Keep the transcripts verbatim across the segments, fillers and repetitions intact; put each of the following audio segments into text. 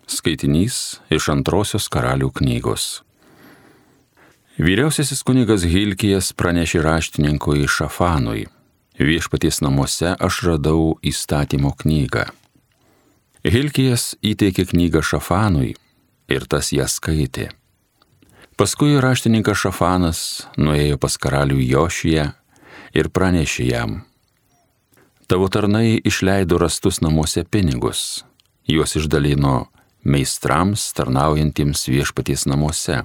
Skaitinys iš antrosios Karalių knygos. Vyriausiasis kunigas Hilkijas pranešė raštininkui Šafanui: viešpaties namuose aš radau įstatymo knygą. Hilkijas įteikė knygą Šafanui ir tas ją skaitė. Paskui raštininkas Šafanas nuėjo pas karalių Jošiją ir pranešė jam: tavo tarnai išleido rastus namuose pinigus, juos išdalino meistrams tarnaujantiems viešpaties namuose.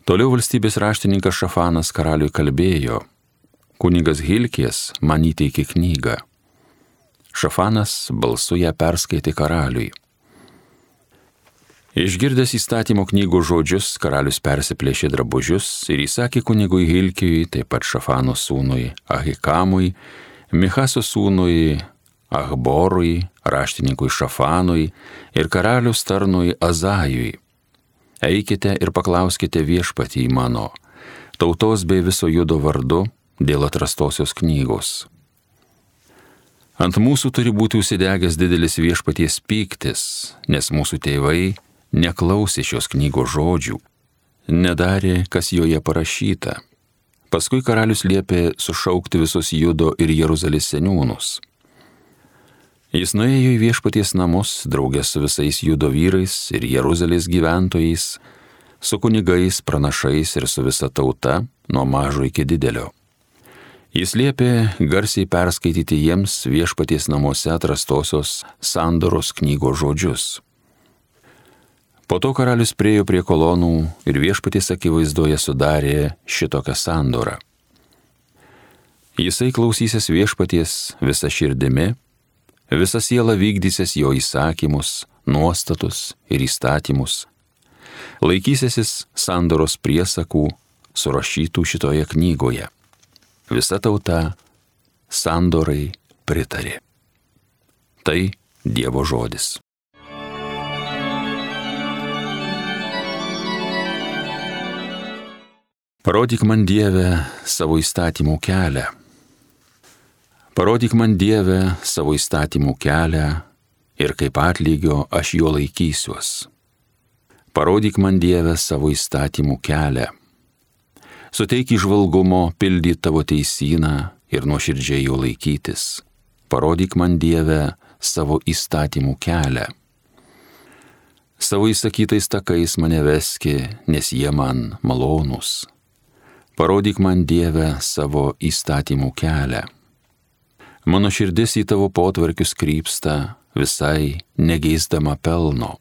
Toliau valstybės raštininkas Šafanas karaliui kalbėjo: kunigas Hilkijas man įteikė knygą. Šafanas balsu ją perskaitė karaliui. Išgirdęs įstatymo knygų žodžius, karalius persiplėšė drabužius ir įsakė kunigui Hilkijui, taip pat Šafano sūnui Ahikamui, Michaso sūnui Achborui, raštininkui Šafanui ir karalius tarnui Azajui: eikite ir paklauskite viešpatį mano, tautos bei viso judo vardu dėl atrastosios knygos. Ant mūsų turi būti užsidegęs didelis viešpaties pyktis, nes mūsų tėvai neklausė šios knygos žodžių, nedarė, kas joje parašyta. Paskui karalius liepė sušaukti visus Judo ir Jeruzalės seniūnus. Jis nuėjo į viešpaties namus draugė su visais Judo vyrais ir Jeruzalės gyventojais, su kunigais, pranašais ir su visa tauta, nuo mažo iki didelio. Jis liepė garsiai perskaityti jiems viešpaties namuose atrastosios sandoros knygos žodžius. Po to karalius priėjo prie kolonų ir viešpaties akivaizdoje sudarė šitokią sandorą. Jisai klausysis viešpaties visa širdimi, visa siela vykdysis jo įsakymus, nuostatus ir įstatymus, laikysisis sandoros priesakų surašytų šitoje knygoje. Visa tauta sandorai pritarė. Tai Dievo žodis. Parodyk man, Dieve, savo įstatymų kelią. Parodyk man, Dieve, savo įstatymų kelią ir kaip atlygio aš jo laikysiuos. Parodyk man, Dieve, savo įstatymų kelią. Suteik įžvalgumo pildyt tavo teisyną ir nuoširdžiai jo laikytis. Parodyk man, Dieve, savo įstatymų kelią. Savo įsakytais takais mane veski, nes jie man malonūs. Parodyk man, Dieve, savo įstatymų kelią. Mano širdis į tavo potvarkius krypsta, visai negeisdama pelno.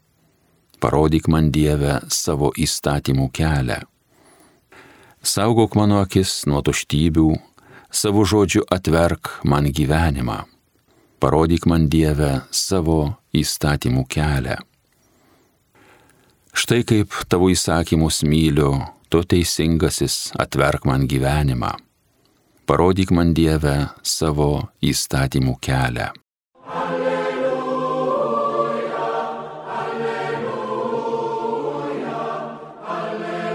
Parodyk man, Dieve, savo įstatymų kelią. Saugok mano akis nuo tuštybių, savo žodžiu atverk man gyvenimą. Parodyk man, Dieve, savo įstatymų kelią. Štai kaip tavo įsakymus myliu, tu teisingasis atverk man gyvenimą. Parodyk man, Dieve, savo įstatymų kelią. Alleluja, alleluja, alleluja.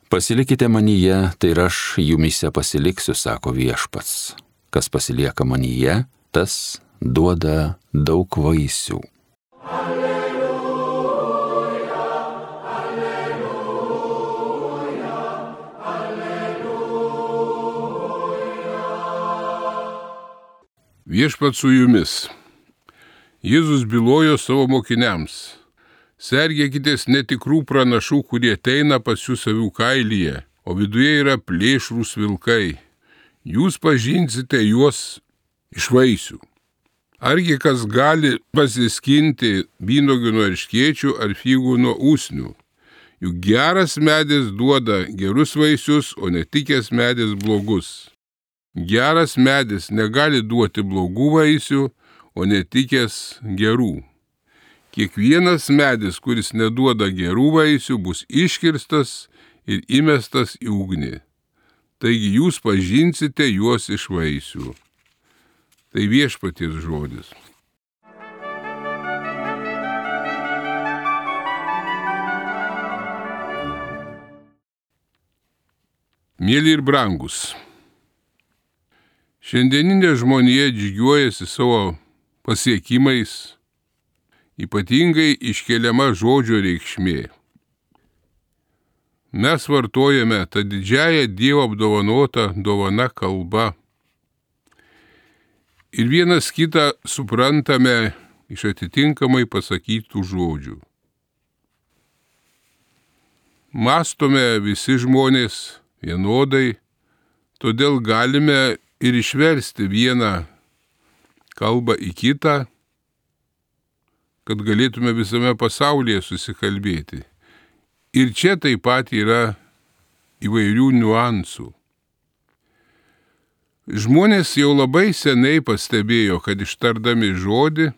Pasilikite manyje, tai ir aš jumyse pasiliksiu, sako viešpats. Kas pasilieka manyje, tas duoda daug vaisių. Viešpats su jumis. Jėzus bylojo savo mokiniams: sergėkitės netikrų pranašų, kurie ateina pas jūs avių kailyje, o viduje yra plėšrūs vilkai. Jūs pažinsite juos iš vaisių. Argi kas gali pasiskinti vynuogių nuo erškėčių ar figų nuo usnių? Juk geras medis duoda gerus vaisius, o netikęs medis blogus. Geras medis negali duoti blogų vaisių, o netikęs gerų. Kiekvienas medis, kuris neduoda gerų vaisių, bus iškirstas ir įmestas į ugnį. Taigi jūs pažinsite juos iš vaisių. Tai viešpaties žodis. Mėly ir brangus, Šiandieninė žmonija džiaugiuojasi savo pasiekimais, ypatingai iškeliama žodžio reikšmė. Mes vartojame tą didžiąją Dievo apdovanotą dovaną kalbą ir vienas kitą suprantame iš atitinkamai pasakytų žodžių. Mąstome visi žmonės vienodai, todėl galime ir išversti vieną kalbą į kitą, kad galėtume visame pasaulyje susikalbėti. Ir čia taip pat yra įvairių niuansų. Žmonės jau labai seniai pastebėjo, kad ištardami žodį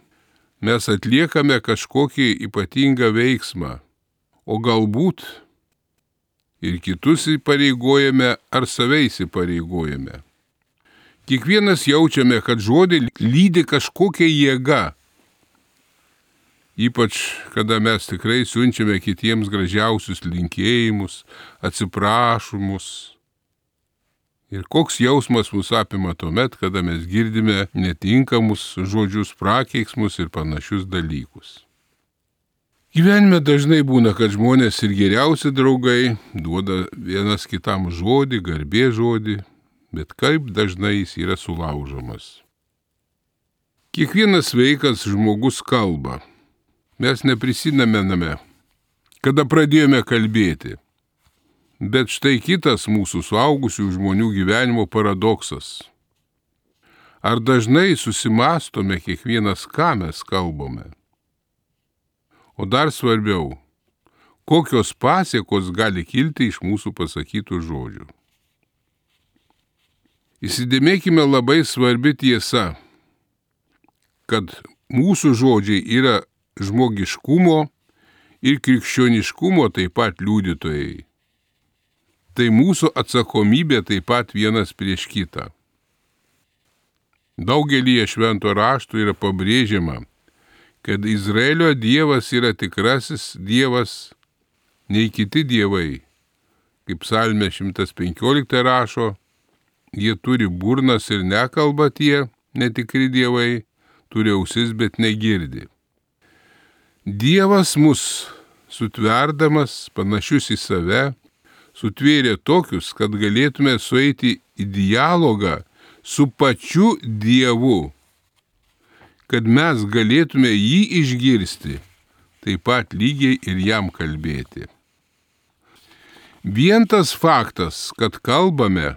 mes atliekame kažkokį ypatingą veiksmą, o galbūt ir kitus įpareigojame ar save įsipareigojame. Kiekvienas jaučiame, kad žodį lydi kažkokia jėga. Ypač, kada mes tikrai siunčiame kitiems gražiausius linkėjimus, atsiprašymus. Ir koks jausmas mus apima tuomet, kada mes girdime netinkamus žodžius, prakeiksmus ir panašius dalykus. Gyvenime dažnai būna, kad žmonės ir geriausi draugai duoda vienas kitam žodį, garbės žodį, bet kaip dažnai jis yra sulaužomas. Kiekvienas sveikas žmogus kalba. Mes neprisimename, kada pradėjome kalbėti. Bet štai kitas mūsų suaugusių žmonių gyvenimo paradoksas. Ar dažnai susimąstome kiekvienas, ką mes kalbame? O dar svarbiau, kokios pasiekos gali kilti iš mūsų pasakytų žodžių. Įsidėmėkime labai svarbi tiesa, kad mūsų žodžiai yra žmogiškumo ir krikščioniškumo taip pat liudytojai. Tai mūsų atsakomybė taip pat vienas prieš kitą. Daugelyje švento rašto yra pabrėžiama, kad Izraelio Dievas yra tikrasis Dievas, nei kiti dievai. Kaip Psalmė šimtas penkiolika rašo, jie turi burnas ir nekalba tie netikri dievai, turi ausis, bet negirdi. Dievas mus sutverdamas, panašius į save, sutvėrė tokius, kad galėtume sueiti į dialogą su pačiu Dievu, kad mes galėtume jį išgirsti, taip pat lygiai ir jam kalbėti. Vien tas faktas, kad kalbame,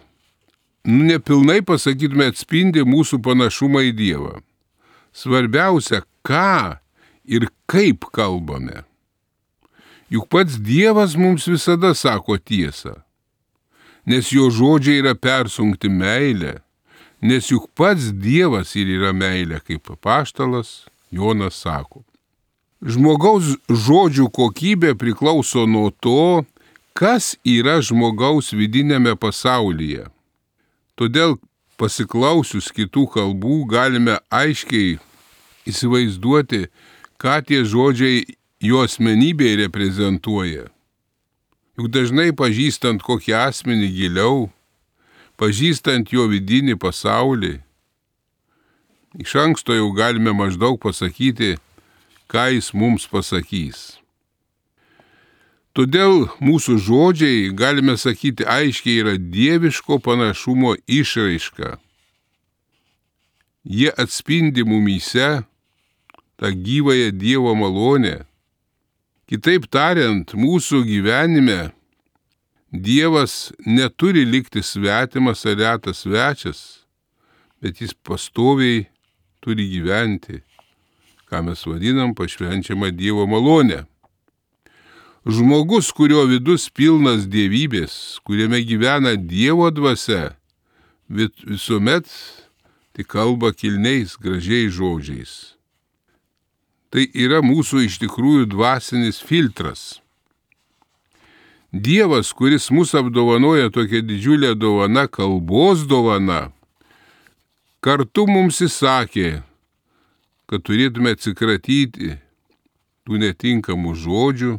nepilnai pasakytume atspindi mūsų panašumą į Dievą. Svarbiausia, ką ir kaip kalbame. Juk pats Dievas mums visada sako tiesą, nes jo žodžiai yra persunkti meilę, nes juk pats Dievas ir yra meilė, kaip apaštalas Jonas sako. Žmogaus žodžių kokybė priklauso nuo to, kas yra žmogaus vidinėme pasaulyje. Todėl pasiklausius kitų kalbų galime aiškiai įsivaizduoti, ką tie žodžiai jo asmenybėje reprezentuoja. Juk dažnai pažįstant kokį asmenį giliau, pažįstant jo vidinį pasaulį, iš anksto jau galime maždaug pasakyti, ką jis mums pasakys. Todėl mūsų žodžiai, galime sakyti, aiškiai yra dieviško panašumo išraiška. Jie atspindi mumyse tą gyvąją Dievo malonę. Kitaip tariant, mūsų gyvenime Dievas neturi likti svetimas ar retas svečias, bet jis pastoviai turi gyventi, ką mes vadinam pašvenčiama Dievo malonė. Žmogus, kurio vidus pilnas dievybės, kuriame gyvena Dievo dvasia, visuomet tik kalba kilniais, gražiais žodžiais. Tai yra mūsų iš tikrųjų dvasinis filtras. Dievas, kuris mus apdovanoja tokia didžiulė dovana, kalbos dovana, kartu mums įsakė, kad turėtume atsikratyti tų netinkamų žodžių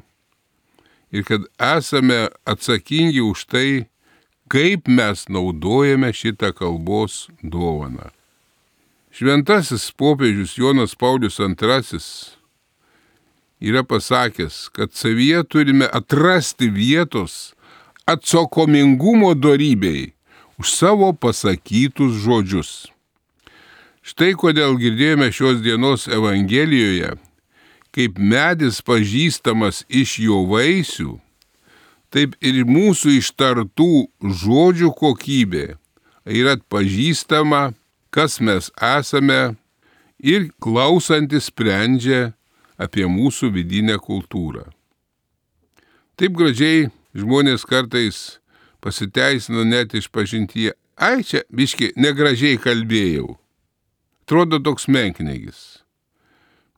ir kad esame atsakingi už tai, kaip mes naudojame šitą kalbos dovaną. Šventasis popiežius Jonas Paulius antrasis yra pasakęs, kad savyje turime atrasti vietos atsakomingumo dorybei už savo pasakytus žodžius. Štai kodėl girdėjome šios dienos Evangelijoje, kaip medis pažįstamas iš jo vaisių, taip ir mūsų ištartų žodžių kokybė yra atpažįstama, kas mes esame, ir klausantis sprendžia apie mūsų vidinę kultūrą. Taip gražiai žmonės kartais pasiteisina net išpažintyje, ai čia biški negražiai kalbėjau. Atrodo toks menkniegis.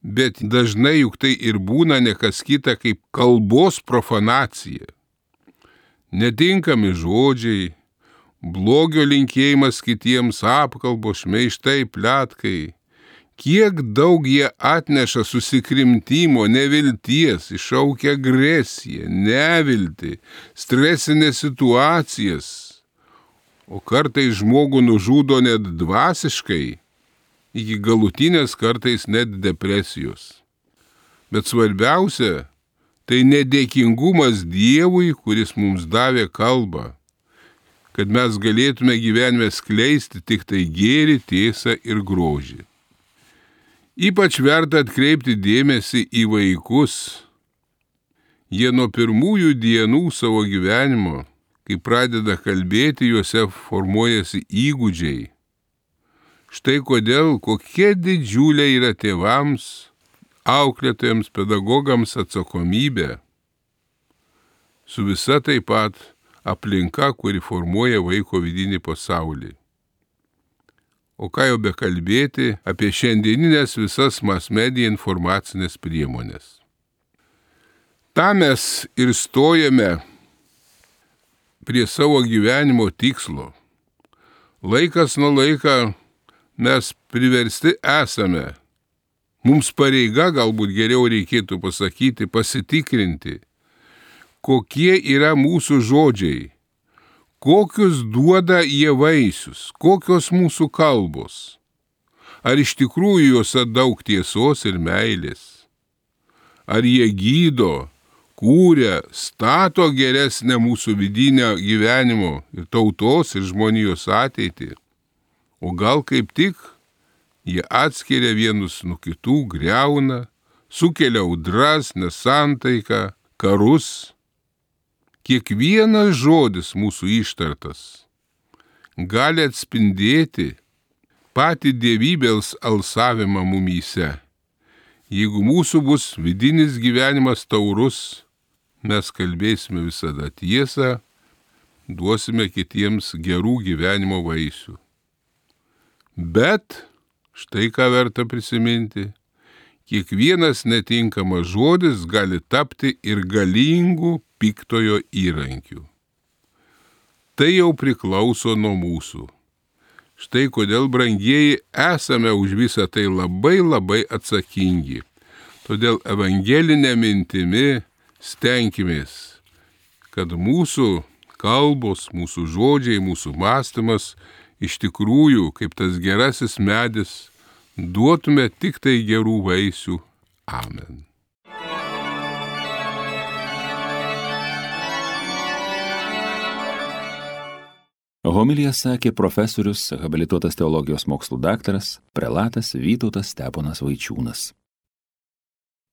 Bet dažnai juk tai ir būna nekas kita kaip kalbos profanacija. Netinkami žodžiai, blogio linkėjimas kitiems, apkalbos, šmeižtai, pletkai. Kiek daug jie atneša susikrimtimo, nevilties, iššaukia agresiją, neviltį, stresinės situacijas, o kartais žmogų nužudo net dvasiškai, iki galutinės kartais net depresijos. Bet svarbiausia, tai nedėkingumas Dievui, kuris mums davė kalbą, kad mes galėtume gyvenime skleisti tik tai gėrį, tiesą ir grožį. Ypač verta atkreipti dėmesį į vaikus. Jie nuo pirmųjų dienų savo gyvenimo, kai pradeda kalbėti, juose formuojasi įgūdžiai. Štai kodėl kokia didžiulė yra tėvams, auklėtojams, pedagogams atsakomybė. Su visa taip pat aplinka, kuri formuoja vaiko vidinį pasaulį. O ką jau bekalbėti apie šiandieninės visas mass-media informacinės priemonės. Ta mes ir stojame prie savo gyvenimo tikslo. Laikas nuo laika mes priversti esame, mums pareiga galbūt geriau reikėtų pasakyti, pasitikrinti, kokie yra mūsų žodžiai, kokius duoda jie vaisius, kokios mūsų kalbos, ar iš tikrųjų juose daug tiesos ir meilės, ar jie gydo, kūrė, stato geresnę mūsų vidinę gyvenimo ir tautos ir žmonijos ateitį. O gal kaip tik jie atskiria vienus nuo kitų, griauna, sukelia audras, nesantaiką, karus. Kiekvienas žodis mūsų ištartas gali atspindėti patį dievybės alsavimą mumyse. Jeigu mūsų bus vidinis gyvenimas taurus, mes kalbėsime visada tiesą, duosime kitiems gerų gyvenimo vaisių. Bet, štai ką verta prisiminti, kiekvienas netinkamas žodis gali tapti ir galingų piktojo įrankių. Tai jau priklauso nuo mūsų. Štai kodėl, brangieji, esame už visą tai labai labai atsakingi. Todėl evangelinė mintimi stenkimės, kad mūsų kalbos, mūsų žodžiai, mūsų mąstymas iš tikrųjų, kaip tas gerasis medis, duotume tik tai gerų vaisių. Amen. Homiliją sakė profesorius, habilituotas teologijos mokslų daktaras, prelatas Vytautas Steponas Vaičiūnas.